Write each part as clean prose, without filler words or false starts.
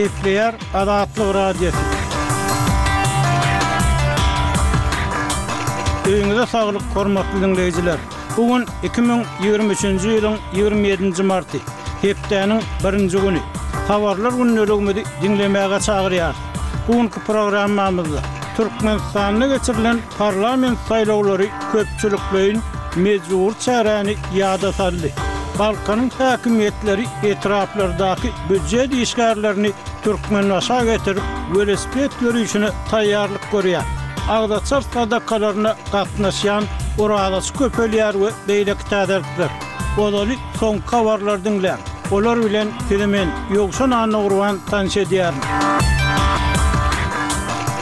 Gepleýär Azatlyk Radiosy. Öýüňize saglyk, hormatly diňleýjiler! Bu gün 2023-nji ýylyň 27-nji marty, hepdäniň birinji güni. Habarlar gündeligimizi diňlemäge çagyrýarys. Bu günki programmamyzda Türkmenistanda geçirilen parlament saýlawlary köpçülikleýin mejbury çäräni ýada saldy. Balkanyň häkimiýetleri etraplardaky býujet işgärlerini Türkmenbaşa getirip, welosiped ýörişine taýýarlyk görýär. Agzaçar sadakalaryna gatnaşýan orazaçy köpelýär we beýleki täzelikler. Ozaly soňky habarlary diňläň. Olar bilen sizi men, Ýowşan Annagurban tanyş edýärin.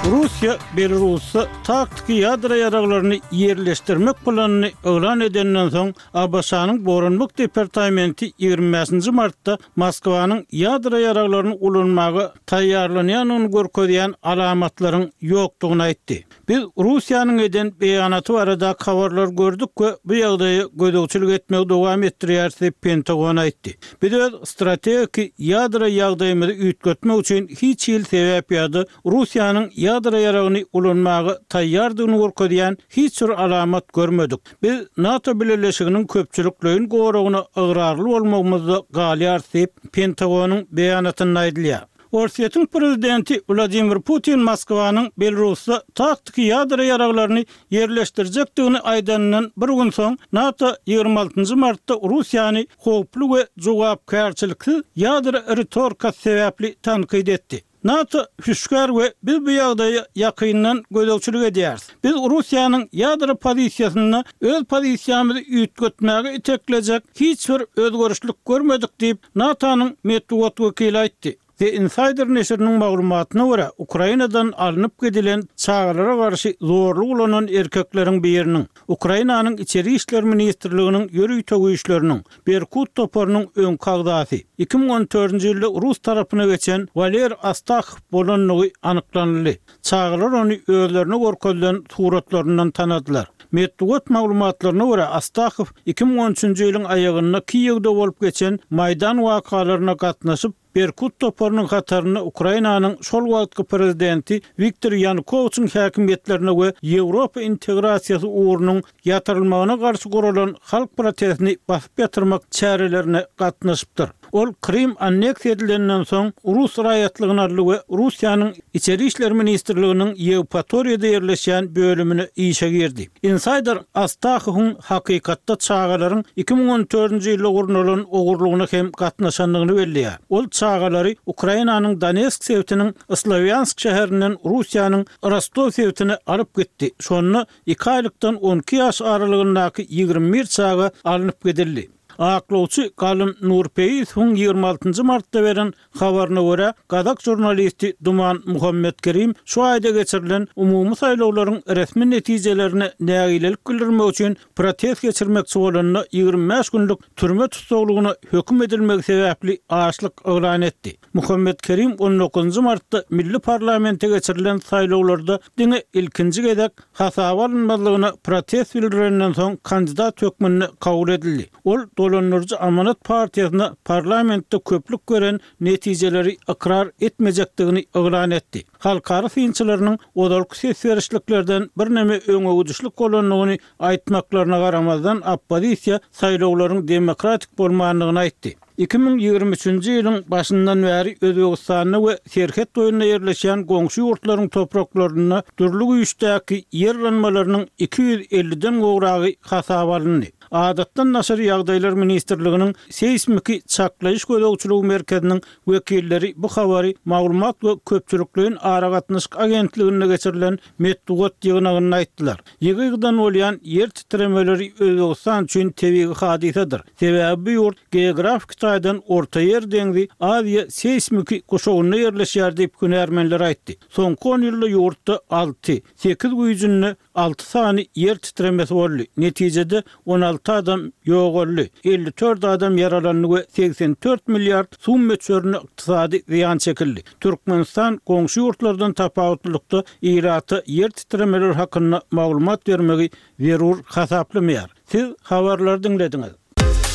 Russiýa Belarusda taktiki ýadro ýaraglaryny ýerleşdirmek planyny yglan edenden soň, ABŞ-nyň Goranmak departamenti 25-nji martda Moskwanyň ýadro ýaraglaryny ulanmaga taýýarlanýandygyny görkezýän alamatlaryň ýokdugyny aýtdy. Biz Russiýanyň eden beýanaty baradaky habarlary gördük we bu ýagdaýa gözegçilik etmegi dowam etdirýäris diýip, Pentagon aýtdy. Biz öz strategiki ýadro ýagdaýymyzy üýtgetmek üçin hiç hili sebäp ýa-da Russiýanyň ýadro ýaragyny ulanmaga taýýardygyny görkezýän hiç bir alamat görmedik. Biz NATO bileleşiginiň köpçülikleýin goragyna ygrarly bolmagymyzda galýarys diýip, Pentagonyň beýanatynda aýdylýar. Orsýetiň prezidenti Wladimir Putin Moskwanyň Belarusda taktiki ýadro ýaraglaryny ýerleşdirjekdigini aýdanyndan bir gün soň, NATO 26 nji martda Russiýany howply we jogapkärçiliksiz ýadro ritorikasy sebäpli tankyt etdi. NATO hüşgär we biz bu ýagdaýa ýakyndan gözegçilik edýäris. Biz Russiýanyň ýadro pozisiýasynda öz pozisiýamyzy üýtgetmäge iteklejek hiç bir özgerişlik görmedik diýip, NATO-nyň metbugat wekili aýtdy. The Insider neşiriniň maglumatyna görä, Ukrainadan alnyp gidilen çagalara garşy zorluk ulanan erkekleriň biriniň, Ukrainanyň Içeri işler ministrliginiň ýörite güýçleriniň Berkut toparynyň öňki agzasy, 2014-nji ýylda rus tarapyna geçen Waleriý Astahow bolandygy anyklanyldy. Çagalar ony özlerine görkezilen suratlaryndan tanadylar. Metbugat maglumatlaryna görä, Astahow 2013-nji ýylyň aýagynda Kiýewde bolup geçen Maýdan wakalaryna gatnaşyp, Berkut toparynyň hatarynda Ukrainanyň şol wagtky prezidenti Wiktor Ýanukowiçiň häkimiýetlerine we Ýewropa integrasiýasy ugrunyň ýatyrylmagyna garşy guralan halk protestini basyp ýatyrmak çärelerine gatnaşypdyr. Ol Krym anneksiýa edilenden soň rus raýatlygyny aldy we Russiýanyň Içeri işler ministrliginiň Ýewpatoriýada ýerleşýän bölümine işe girdi. Insaýder Astahowyň hakykatda çagalaryň 2014-nji ýylda gurnalan ogurlygyna hem gatnaşandygyny belleýär. Ol çagalary Ukrainanyň Donetsk sebitiniň Slowýansk şäherinden Russiýanyň Rostow sebitine alyp gitdi. Şonda iki aýlykdan 12 ýaş aralygyndaky 21 çaga alnyp gidildi. Aklawçy Galym Nurpeýisowyň 26 njy martda beren Habaryna görä, gazak žurnalisti Duman Muhammetkerim şu aýda geçirilen umumy saýlawlaryň resmi netijelerine nägilelik bildirmek üçin protest geçirmekçi bolanda 25 günlük türme tussaglygyna höküm edilmegi sebäpli açlyk yglan etdi. Muhammetkerim on dokuzynjy martda milli parlamente geçirilen saýlawlarda diňe ilkinji gezek hasaba alynmazlygyna protest bildirenden soň kandidat hökmünde kabul edildi. Ol dolandyryjy Amanat partiýasyna parlamentde köplük beren netijeleri ykrar etmejekdigini yglan etdi. Halkara synçylarynyň ozalky ses berişliklerden birneme öňegidişlik bolandygyny aýtmaklaryna garamazdan, oppozisiýa saýlawlaryň demokratik bolmandygyny aýtdy. 2023-nji ýylyň başyndan bäri Özbegistanda we serhet boýunda ýerleşýän goňşy ýurtlaryň topraklarynda dürli güýçdäki ýer yranmalarynyň 250-den gowragy hasaba alyndy. Adatdan daşary ýagdaýlar ministrliginiň Seýsmiki çaklaýyş gözegçiligi merkeziniň wekilleri bu habary Maglumat we köpçülikleýin aragatnaşyk agentliginde geçirilen metbugat ýygnagynda aýtdylar. Ýygy-ýygydan bolýan ýer titremeleri Özbegistan üçin tebigy hadysadyr. Sebäbi bu ýurt geografiki taýdan Ortaýer deňzi Aziýa seýsmiki guşagynda ýerleşýär diýip hünärmenler aýtdy. Soňky on ýylda ýurtda alty, sekiz güýjünde alty sany ýer titremesi boldy. Netijede 16 adam ýogaldy, 54 adam ýaralandy we 84 milliard sum möçberinde ykdysady zyýan çekildi. Türkmenistan goňşy ýurtlardan tapawutlylykda ilata ýer titremeleri hakynda maglumat bermegi zerur hasaplamaýar. Siz habarlary diňlediňiz.